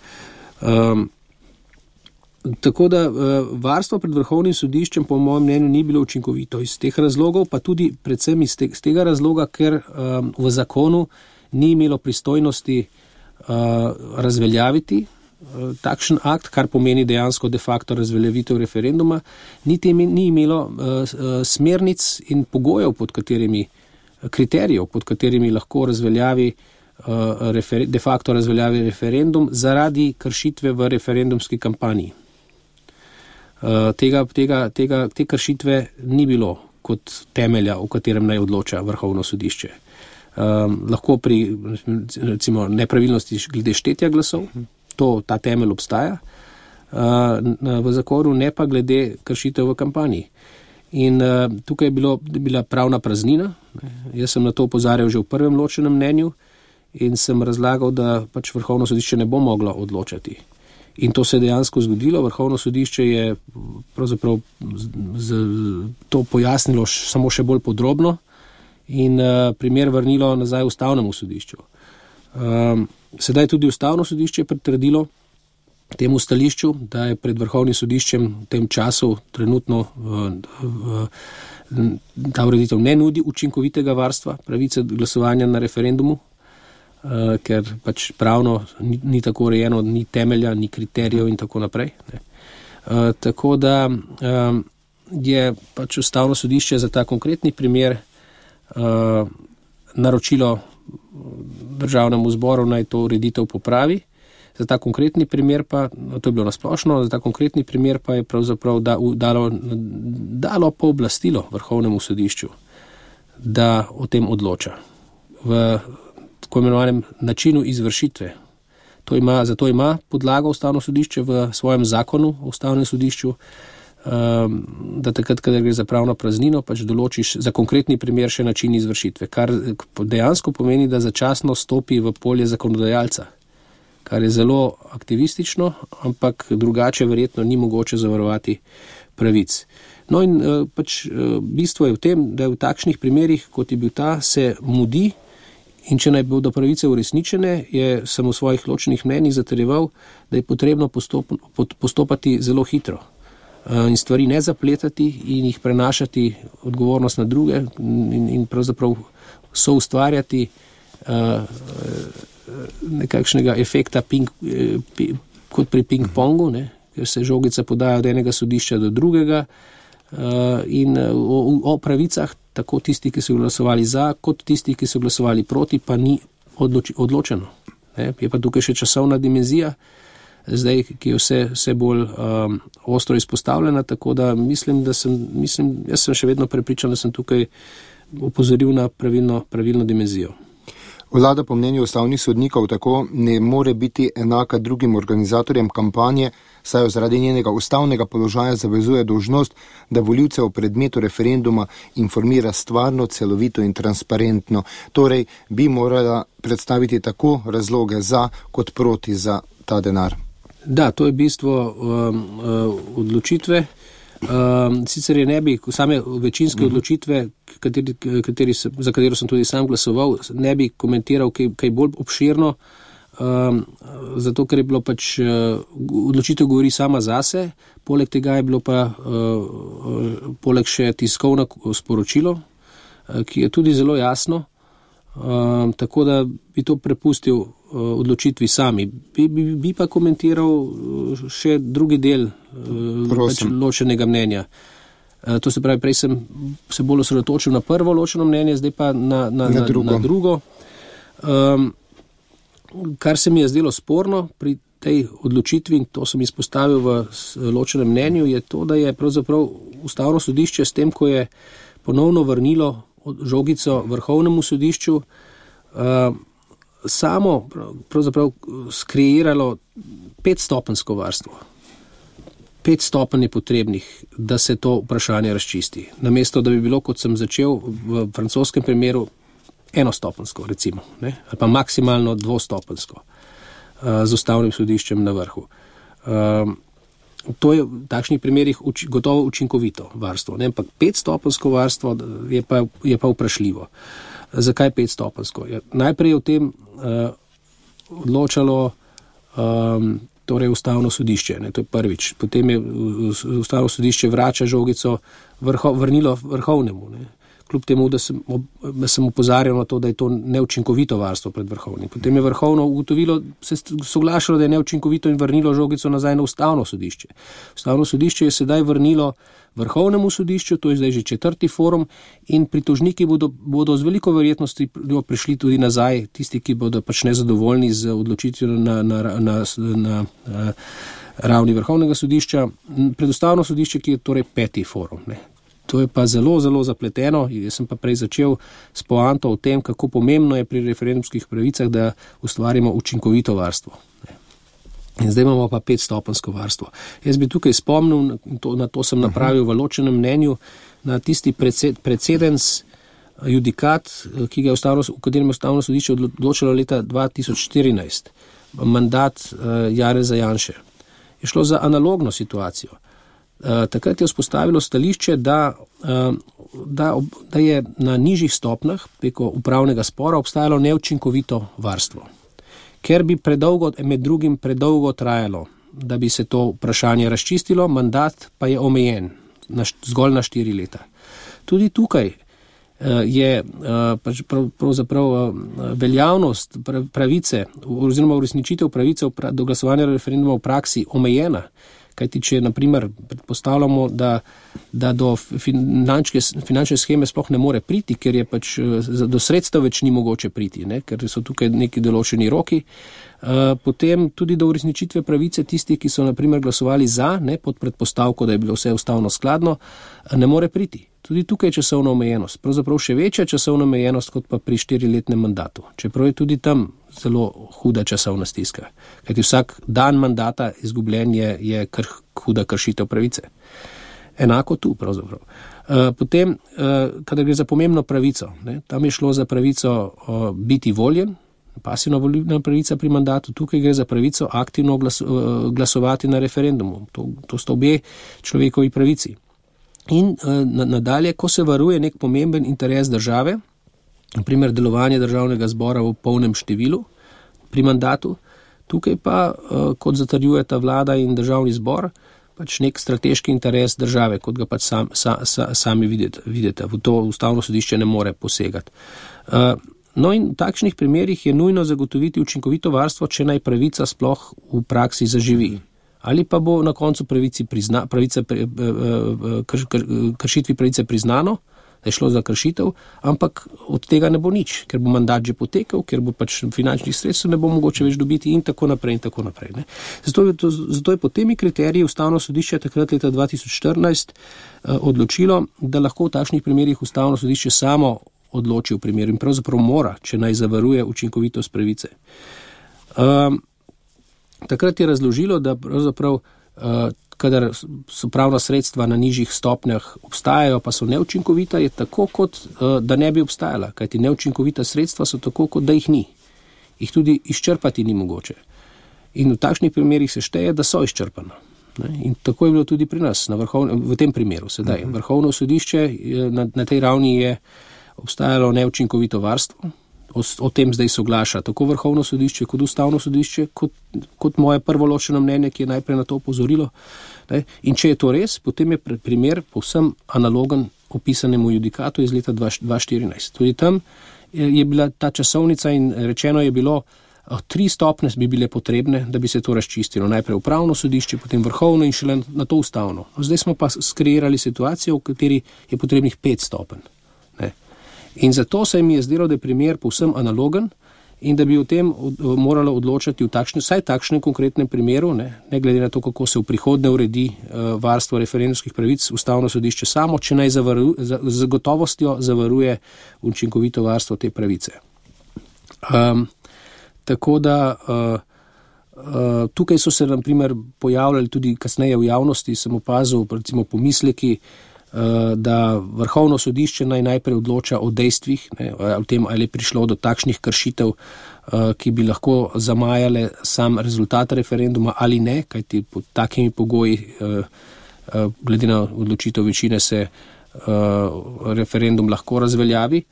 Tako da varstvo pred Vrhovnim sodiščem po mojem mnenju ni bilo učinkovito iz teh razlogov, pa tudi predvsem iz tega razloga, ker v zakonu ni imelo pristojnosti razveljaviti takšen akt, kar pomeni dejansko de facto razveljavitev referenduma, ni imelo smernic in pogojev, kriterijev, pod katerimi lahko de facto razveljavi referendum zaradi kršitve v referendumski kampanji. Te kršitve ni bilo kot temelja, o katerem naj odloča Vrhovno sodišče. Lahko pri recimo nepravilnosti glede štetja glasov, ta temelj obstaja v zakonu, ne pa glede kršitev v kampanji. In tukaj je bila pravna praznina. Jaz sem na to opozarjal že v prvem ločenem mnenju in sem razlagal, da pač Vrhovno sodišče ne bo moglo odločati. In to se je dejansko zgodilo. Vrhovno sodišče je pravzaprav to pojasnilo samo še bolj podrobno in primer vrnilo nazaj Ustavnemu sodišču. Sedaj tudi Ustavno sodišče je pritrdilo temu stališču, da je pred Vrhovnim sodiščem v tem času trenutno ta ureditev ne nudi učinkovitega varstva pravice glasovanja na referendumu, ker pač pravno ni tako urejeno, ni temelja, ni kriterijev in tako naprej. Tako da je pač Ustavno sodišče za ta konkretni primer naročilo Državnemu zboru naj to ureditev popravi. Za ta konkretni primer pa, to je bilo nasplošno, za ta konkretni primer pa je pravzaprav dalo pooblastilo Vrhovnemu sodišču, da o tem odloča v tako imenovanem načinu izvršitve. Zato ima podlago Ustavno sodišče v svojem zakonu o Ustavnem sodišču, da takrat, kadar gre za pravno praznino, pač določiš za konkretni primer še način izvršitve, kar dejansko pomeni, da začasno stopi v polje zakonodajalca, kar je zelo aktivistično, ampak drugače verjetno ni mogoče zavarovati pravic. No in pač bistvo je v tem, da v takšnih primerih, kot je bil ta, se mudi in če naj bodo pravice uresničene, sem v svojih ločenih mnenjih zatrjeval, da je potrebno postopati zelo hitro in stvari ne zapletati in jih prenašati odgovornost na druge in pravzaprav soustvarjati nekakšnega efekta kot pri ping-pongu, ker se žogica podaja od enega sodišča do drugega in o pravicah, tako tisti, ki so glasovali za, kot tisti, ki so glasovali proti, pa ni odločeno. Je pa tukaj še časovna dimenzija, zdaj, ki je vse bolj ostro izpostavljena, tako da jaz sem še vedno prepričan, da sem tukaj opozoril na pravilno dimenzijo. Vlada po mnenju ustavnih sodnikov tako ne more biti enaka drugim organizatorjem kampanje, saj jo zaradi njenega ustavnega položaja zavezuje dolžnost, da volivce o predmetu referenduma informira stvarno, celovito in transparentno. Torej bi morala predstaviti tako razloge za kot proti za ta denar. Da, to je bistvo odločitve. Sicer je ne bi same večinske odločitve, za katero sem tudi sam glasoval, ne bi komentiral kaj bolj obširno, zato ker je bilo pač odločitev govori sama zase, poleg tega je bilo pa poleg še tiskovno sporočilo, ki je tudi zelo jasno, tako da bi to prepustil odločitvi sami. Bi pa komentiral še drugi del pač ločenega mnenja. To se pravi, prej sem se bolj osredotočil na prvo ločeno mnenje, zdaj pa na drugo. Kar se mi je zdelo sporno pri tej odločitvi, in to sem izpostavil v ločenem mnenju, je to, da je pravzaprav Ustavno sodišče s tem, ko je ponovno vrnilo žogico Vrhovnemu sodišču, samo pravzaprav skreiralo 5-stopenjsko varstvo. 5 stopenj je potrebnih, da se to vprašanje razčisti. Namesto, da bi bilo, kot sem začel v francoskem primeru, 1-stopenjsko, recimo, ali pa maksimalno 2-stopenjsko z Ustavnim sodiščem na vrhu. To je v takšnih primerih gotovo učinkovito varstvo, ampak 5-stopenjsko varstvo je pa vprašljivo. Zakaj 5-stopenjsko? Najprej je o tem odločalo torej Ustavno sodišče, to je prvič. Potem je Ustavno sodišče vrača žogico vrnilo Vrhovnemu. Kljub temu, da sem opozarjal na to, da je to neučinkovito varstvo pred Vrhovnim. Potem je Vrhovno ugotovilo, se soglašalo, da je neučinkovito in vrnilo žogico nazaj na Ustavno sodišče. Ustavno sodišče je sedaj vrnilo Vrhovnemu sodišču, to je zdaj že 4. forum, in pritožniki bodo z veliko verjetnosti prišli tudi nazaj, tisti, ki bodo pač nezadovoljni z odločitvijo na ravni Vrhovnega sodišča, pred Ustavno sodišče, ki je torej 5. forum. To je pa zelo, zelo zapleteno. Jaz sem pa prej začel s poanto o tem, kako pomembno je pri referendumskih pravicah, da ustvarimo učinkovito varstvo. In zdaj imamo pa 5-stopenjsko varstvo. Jaz bi tukaj spomnil, na to sem napravil v ločenem mnenju, na tisti precedens judikat, v katerem je ustavno sodišče odločilo leta 2014, mandat Janeza Janše. Je šlo za analogno situacijo. Takrat je vzpostavilo stališče, da je na nižjih stopnjah preko upravnega spora obstajalo neučinkovito varstvo, ker bi med drugim predolgo trajalo, da bi se to vprašanje razčistilo, mandat pa je omejen zgolj na 4 leta. Tudi tukaj je pravzaprav veljavnost pravice oziroma uresničitev pravice do glasovanja referenduma v praksi omejena, kajti če naprimer predpostavljamo, da do finančne sheme sploh ne more priti, ker je pač do sredstev več ni mogoče priti, ker so tukaj neki določeni roki, potem tudi do uresničitve pravice tistih, ki so naprimer glasovali za, pod predpostavko, da je bilo vse ustavno skladno, ne more priti. Tudi tukaj je časovna omejenost, pravzaprav še večja časovna omejenost kot pa pri 4-letnem mandatu, čeprav je tudi tam zelo huda časovna stiska, kajti vsak dan mandata izgubljen je huda kršitev pravice. Enako tu pravzaprav. Potem, kadar gre za pomembno pravico, tam je šlo za pravico biti voljen, pasivna volilna pravica pri mandatu, tukaj gre za pravico aktivno glasovati na referendumu. To sta obe človekovi pravici. In nadalje, ko se varuje nek pomemben interes države, naprimer delovanje državnega zbora v polnem številu pri mandatu, tukaj pa, kot zatrjujeta vlada in državni zbor, pač nek strateški interes države, kot ga pač sami vidite. V to ustavno sodišče ne more posegati. No in v takšnih primerih je nujno zagotoviti učinkovito varstvo, če naj pravica sploh v praksi zaživi. Ali pa bo na koncu kršitvi pravice priznano, da je šlo za kršitev, ampak od tega ne bo nič, ker bo mandat že potekel, ker bo pač finančnih sredstev ne bo mogoče več dobiti in tako naprej in tako naprej. Zato je po temi kriteriji ustavno sodišče takrat leta 2014 odločilo, da lahko v takšnih primerih ustavno sodišče samo odloči v primeru in pravzaprav mora, če naj zavaruje učinkovitost pravice. Takrat je razložilo, da pravzaprav, kadar so pravna sredstva na nižjih stopnjah obstajajo, pa so neučinkovita, je tako, kot da ne bi obstajala, kajti neučinkovita sredstva so tako, kot da jih ni. Jih tudi izčrpati ni mogoče. In v takšnih primerih se šteje, da so izčrpana. In tako je bilo tudi pri nas, v tem primeru sedaj. Vrhovno sodišče na tej ravni je obstajalo neučinkovito varstvo. O tem zdaj soglaša tako Vrhovno sodišče kot Ustavno sodišče, kot moje prvo ločeno mnenje, ki je najprej na to opozorilo. In če je to res, potem je primer povsem analogen opisanemu judikatu iz leta 2014. Tudi tam je bila ta časovnica in rečeno je bilo, 3 stopnje bi bile potrebne, da bi se to razčistilo. Najprej Upravno sodišče, potem Vrhovno in šele na to Ustavno. Zdaj smo pa skreirali situacijo, v kateri je potrebnih 5 stopenj. In zato se mi je zdelo, da je primer povsem analogen in da bi o tem moralo odločati vsaj takšnem konkretnem primeru, ne glede na to, kako se v prihodnje uredi varstvo referendumskih pravic, Ustavno sodišče samo, če naj z gotovostjo zavaruje učinkovito varstvo te pravice. Tako da tukaj so se, na primer, pojavljali tudi kasneje v javnosti, sem opazil, recimo pomisleki, da Vrhovno sodišče najprej odloča o dejstvih, o tem, ali je prišlo do takšnih kršitev, ki bi lahko zamajale sam rezultat referenduma ali ne, kajti pod takimi pogoji, glede na odločitev večine, se referendum lahko razveljavi.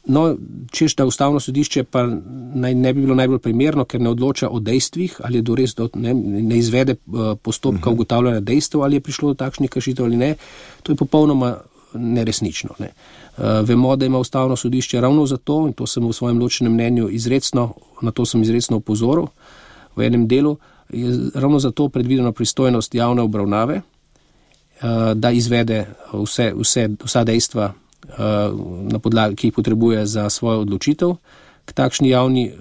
No, češ, da Ustavno sodišče pa ne bi bilo najbolj primerno, ker ne odloča o dejstvih, ali je res ne izvede postopka ugotavljanja dejstev, ali je prišlo do takšnih kršitev ali ne, to je popolnoma neresnično. Vemo, da ima Ustavno sodišče ravno zato, in to sem v svojem ločenem mnenju na to sem izrecno opozoril v enem delu, je ravno zato predvidena pristojnost javne obravnave, da izvede vsa dejstva, na podlagi, ki jih potrebuje za svojo odločitev. K takšni javni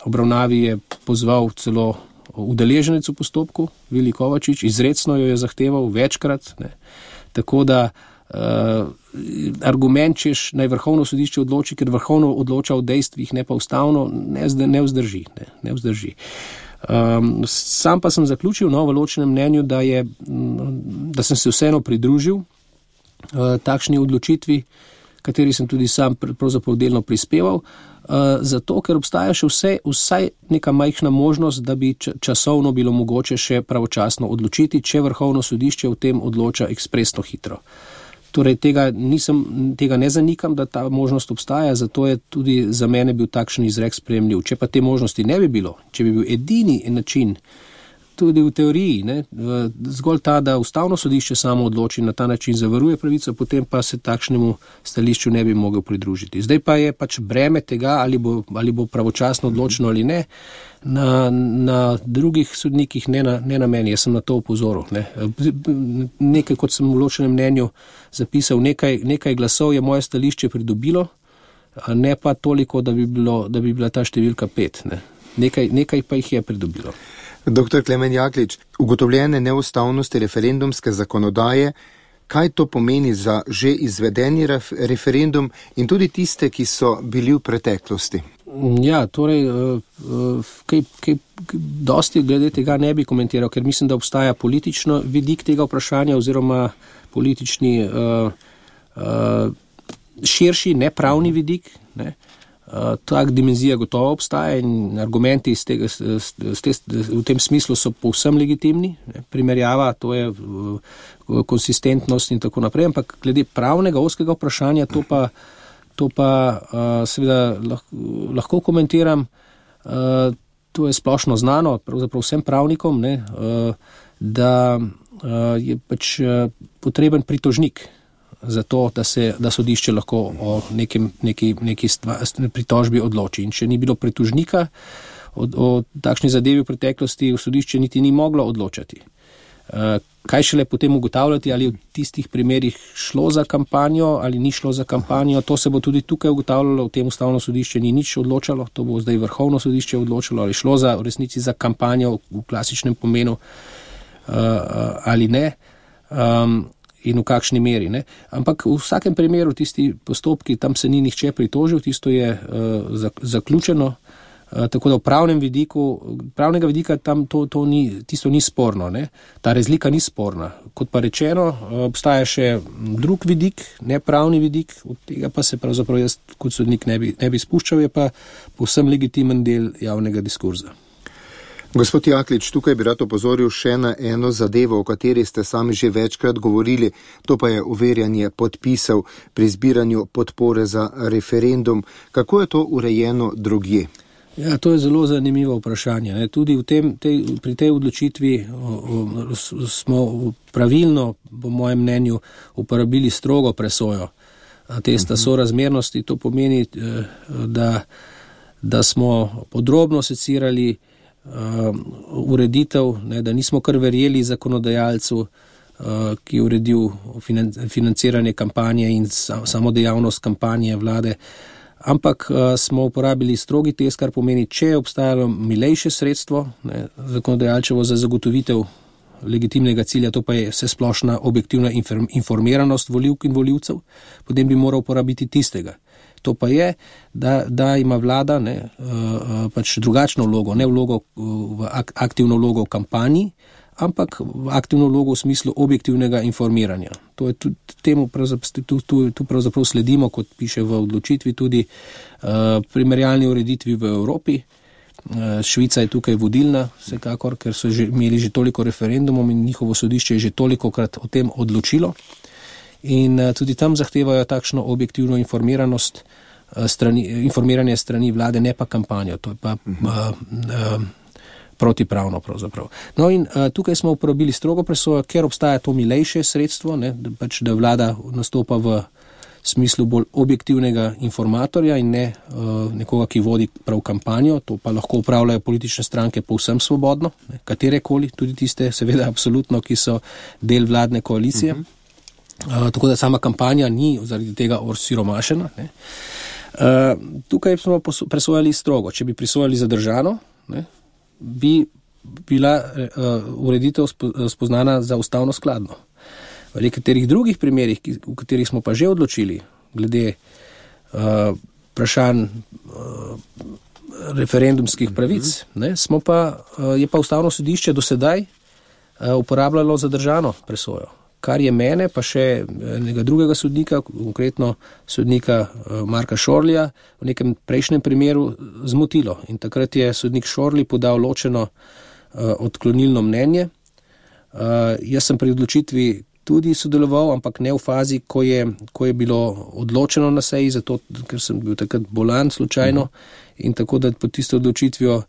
obravnavi je pozval celo udeleženec v postopku, Vili Kovačič, izrecno jo je zahteval večkrat. Tako da argument, češ naj Vrhovno sodišče odloči, ker Vrhovno odloča o dejstvih, ne pa Ustavno, ne vzdrži. Sam pa sem zaključil v ločenem mnenju, da sem se vseeno pridružil takšni odločitvi, kateri sem tudi sam pravzaprav delno prispeval, zato ker obstaja še vsaj neka majhna možnost, da bi časovno bilo mogoče še pravočasno odločiti, če Vrhovno sodišče v tem odloča ekspresno hitro. Torej, tega ne zanikam, da ta možnost obstaja, zato je tudi za mene bil takšen izrek sprejemljiv. Če pa te možnosti ne bi bilo, če bi bil edini način, tudi v teoriji, zgolj ta, da Ustavno sodišče samo odloči, na ta način zavaruje pravico, potem pa se takšnemu stališču ne bi mogel pridružiti. Zdaj pa je pač breme tega, ali bo pravočasno odločeno ali ne, na drugih sodnikih, ne na meni. Jaz sem na to opozoril. Nekaj, kot sem v ločenem mnenju zapisal, nekaj glasov je moje stališče pridobilo, ne pa toliko, da bi bila ta številka 5. Nekaj pa jih je pridobilo. Dr. Klemen Jaklič, ugotovljene neustavnosti referendumske zakonodaje, kaj to pomeni za že izvedeni referendum in tudi tiste, ki so bili v preteklosti? Ja, torej, kaj dosti glede tega ne bi komentiral, ker mislim, da obstaja politično vidik tega vprašanja oziroma politični širši, nepravni vidik, ne. Tak dimenzija gotovo obstaja in argumenti v tem smislu so povsem legitimni. Primerjava, to je konsistentnost in tako naprej, ampak glede pravnega oskega vprašanja, to pa seveda lahko komentiram. To je splošno znano, pravzaprav vsem pravnikom, da je pač potreben pritožnik za to, da sodišče lahko o neki pritožbi odloči. In če ni bilo pritožnika o takšni zadevi v preteklosti, v sodišče niti ni moglo odločati. Kaj šele potem ugotavljati, ali v tistih primerih šlo za kampanjo ali ni šlo za kampanjo, to se bo tudi tukaj ugotavljalo, v tem Ustavno sodišče ni nič odločalo, to bo zdaj Vrhovno sodišče odločalo, ali šlo v resnici za kampanjo v klasičnem pomenu ali ne. In v kakšni meri. Ampak v vsakem primeru tisti postopki, tam se ni nihče pritožil, tisto je zaključeno, tako da v pravnega vidika tam tisto ni sporno. Ta razlika ni sporna. Kot pa rečeno, obstaja še drug vidik, nepravni vidik, od tega pa se pravzaprav jaz kot sodnik ne bi spuščal, je pa povsem legitimen del javnega diskurza. Gospod Jaklič, tukaj bi rad opozoril še na eno zadevo, o kateri ste sami že večkrat govorili, to pa je overjanje podpisov pri zbiranju podpore za referendum. Kako je to urejeno drugje? Ja, to je zelo zanimivo vprašanje. Tudi pri tej odločitvi smo pravilno, po mojem mnenju, uporabili strogo presojo testa sorazmernosti. To pomeni, da smo podrobno secirali ureditev, da nismo kar verjeli zakonodajalcu, ki je uredil financiranje kampanje in samo dejavnost kampanje vlade, ampak smo uporabili strogi test, kar pomeni, če je obstajalo milejše sredstvo zakonodajalčevo za zagotovitev legitimnega cilja, to pa je vsesplošna objektivna informiranost volivk in volivcev, potem bi moral uporabiti tistega. To pa je, da ima vlada pač drugačno vlogo, ne aktivno vlogo v kampanji, ampak aktivno vlogo v smislu objektivnega informiranja. To je tu pravzaprav sledimo, kot piše v odločitvi, tudi primerjalni ureditvi v Evropi. Švica je tukaj vodilna, vsekakor, ker so imeli že toliko referendumov in njihovo sodišče je že tolikokrat o tem odločilo. In tudi tam zahtevajo takšno objektivno informiranje strani vlade, ne pa kampanjo, to je pa protipravno pravzaprav. No in tukaj smo uporabili strogo presojo, ker obstaja to milejše sredstvo, da vlada nastopa v smislu bolj objektivnega informatorja in ne nekoga, ki vodi prav kampanjo, to pa lahko upravljajo politične stranke povsem svobodno, katerekoli, tudi tiste seveda absolutno, ki so del vladne koalicije. Tako da sama kampanja ni zaradi tega osiromašena. Tukaj smo presojali strogo. Če bi presojali zadržano, bi bila ureditev spoznana za ustavno skladno. V nekaterih drugih primerih, v katerih smo pa že odločili, glede vprašanj referendumskih pravic, je pa Ustavno sodišče do sedaj uporabljalo zadržano presojo. kar je mene, pa še enega drugega sodnika, konkretno sodnika Marka Šorlija, v nekem prejšnjem primeru zmotilo. In takrat je sodnik Šorli podal ločeno odklonilno mnenje. Jaz sem pri odločitvi tudi sodeloval, ampak ne v fazi, ko je bilo odločeno na seji, zato ker sem bil takrat bolan slučajno in tako da pod tisto odločitvijo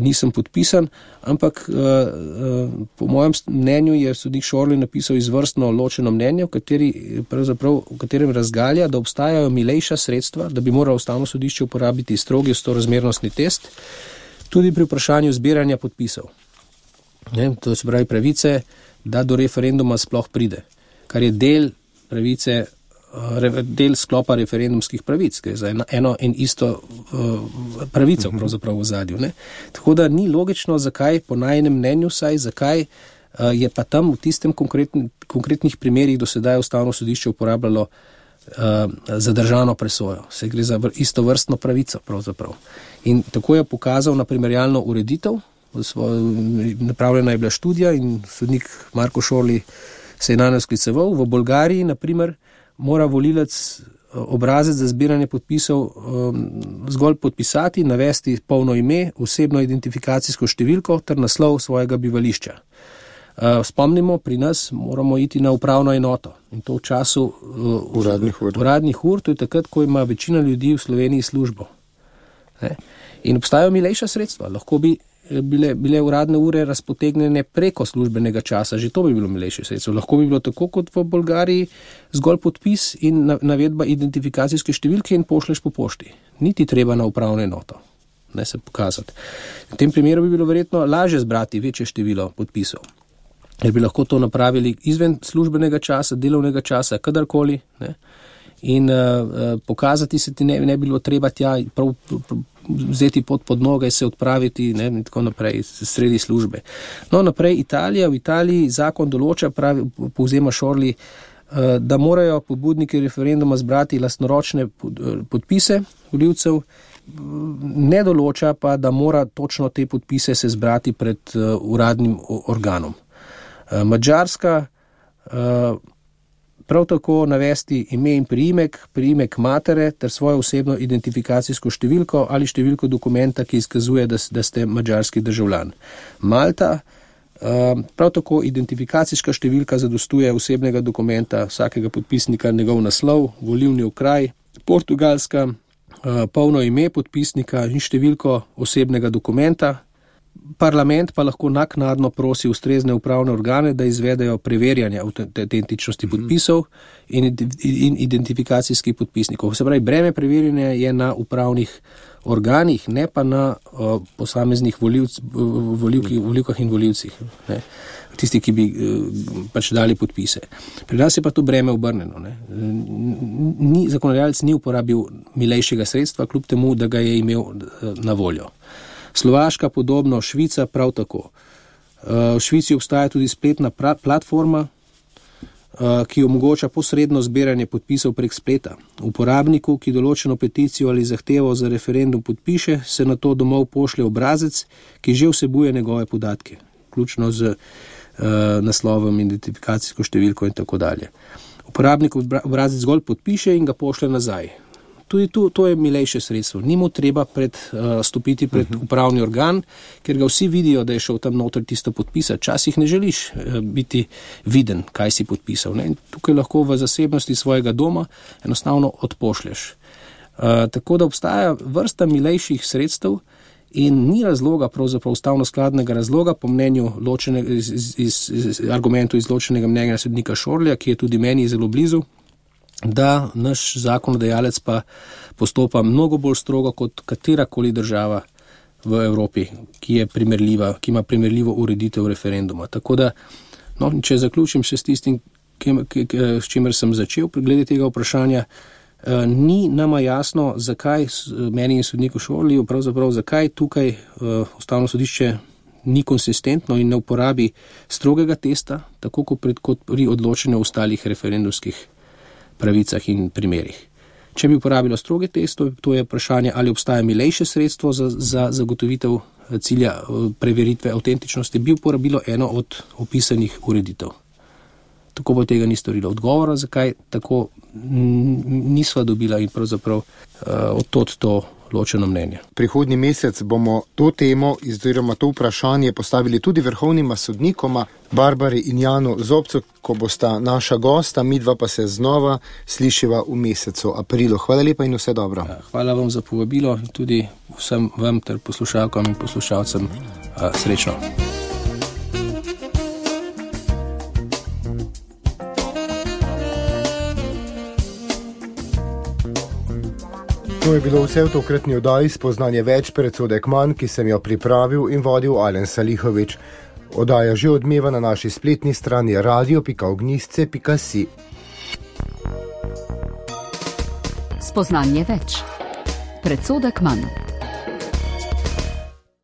nisem podpisan, ampak po mojem mnenju je sodnik Šorli napisal izvrstno ločeno mnenje, v katerem razgalja, da obstajajo milejša sredstva, da bi moralo Ustavno sodišče uporabiti strogi storazmernostni test, tudi pri vprašanju zbiranja podpisov. To se pravi pravice, da do referenduma sploh pride, kar je del sklopa referendumskih pravic, ki je za eno in isto pravico pravzaprav v zadju. Tako da ni logično, zakaj, po najnem mnenju zakaj je pa tam v tistem konkretnih primerih do sedaj Ustavno sodišče uporabljalo zadržano presojo. Se gre za istovrstno pravico pravzaprav. In tako je pokazal na primerjalno ureditev, napravljena je bila študija in sodnik Marko Šorli se je na nas skliceval. V Bolgariji, na primer, mora volilec obrazec za zbiranje podpisov zgolj podpisati, navesti polno ime, osebno identifikacijsko številko ter naslov svojega bivališča. Spomnimo, pri nas moramo iti na upravno enoto in to v času uradnih ur, to je takrat, ko ima večina ljudi v Sloveniji službo. In obstajajo milejša sredstva, lahko bi bile uradne ure razpotegnjene preko službenega časa, že to bi bilo milejše sredstvo. Lahko bi bilo tako kot v Bolgariji, zgolj podpis in navedba identifikacijske številke in pošleš po pošti. Niti treba na upravno enoto, ne se pokazati. V tem primeru bi bilo verjetno lažje zbrati večje število podpisov, ker bi lahko to napravili izven službenega časa, delovnega časa, kadarkoli, in pokazati se ti ne bi bilo treba tja prav vzeti pod noge, se odpraviti in tako naprej, sredi službe. No, naprej Italija. V Italiji zakon določa, povzema Šorli, da morajo pobudniki referenduma zbrati lastnoročne podpise volivcev, ne določa pa, da mora točno te podpise se zbrati pred uradnim organom. Madžarska prav tako navesti ime in priimek matere ter svojo osebno identifikacijsko številko ali številko dokumenta, ki izkazuje, da ste madžarski državljan. Malta, prav tako identifikacijska številka zadostuje osebnega dokumenta vsakega podpisnika, njegov naslov, volilni okraj. Portugalska, polno ime podpisnika in številko osebnega dokumenta. Parlament pa lahko naknadno prosi ustrezne upravne organe, da izvedejo preverjanje avtentičnosti podpisov in identifikacijskih podpisnikov. Se pravi, breme preverjanja je na upravnih organih, ne pa na posameznih volivkah in volivcih, tisti, ki bi pač dali podpise. Pri nas je pa to breme obrnjeno. Zakonodajalec ni uporabil milejšega sredstva, kljub temu, da ga je imel na voljo. Slovaška podobno, Švica prav tako. V Švici obstaja tudi spletna platforma, ki omogoča posredno zbiranje podpisov prek spleta. Uporabniku, ki določeno peticijo ali zahtevo za referendum podpiše, se na to domov pošlje obrazec, ki že vsebuje njegove podatke, vključno z naslovom, identifikacijsko številko in tako dalje. Uporabnik obrazec zgolj podpiše in ga pošlje nazaj. Tudi to je milejše sredstvo. Ni mu treba stopiti pred upravni organ, ker ga vsi vidijo, da je šel tam noter tisto podpisati. Časih ne želiš biti viden, kaj si podpisal. Tukaj lahko v zasebnosti svojega doma enostavno odpošlješ. Tako da obstaja vrsta milejših sredstev in ni razloga, pravzaprav ustavno skladnega razloga, po mnenju argumentu iz ločenega mnenja sodnika Šorlija, ki je tudi meni zelo blizu, da naš zakonodajalec pa postopa mnogo bolj strogo kot katerakoli država v Evropi, ki ima primerljivo ureditev referenduma. Tako da, če zaključim še s tistim, s čimer sem začel glede tega vprašanja, ni nama jasno, zakaj meni in sodniku Šorliju, pravzaprav zakaj tukaj Ustavno sodišče ni konsistentno in ne uporabi strogega testa, tako kot pri odločanju o ostalih referendumskih pravicah in primerih. Če bi uporabilo stroge teste, to je vprašanje, ali obstaja milejše sredstvo za zagotovitev cilja preveritve avtentičnosti, bi uporabilo eno od opisanih ureditev. tako bo tega ni storila. Odgovora, zakaj tako nisva dobila in pravzaprav odtod to ločeno mnenje. Prihodnji mesec bomo to temo oziroma to vprašanje postavili tudi vrhovnima sodnikoma, Barbari in Janu Zobcu, ko bosta naša gosta, midva pa se znova slišiva v mesecu aprilu. Hvala lepa in vse dobro. Hvala vam za povabilo in tudi vsem vam ter poslušalkam in poslušalcem srečno. To je bilo vse v tokratni oddaji Spoznanje več, predsodek manj, ki sem jo pripravil in vodil Alen Salihovič. Oddaja že odmeva na naši spletni strani radio.ognisce.si. Spoznanje več, predsodek manj.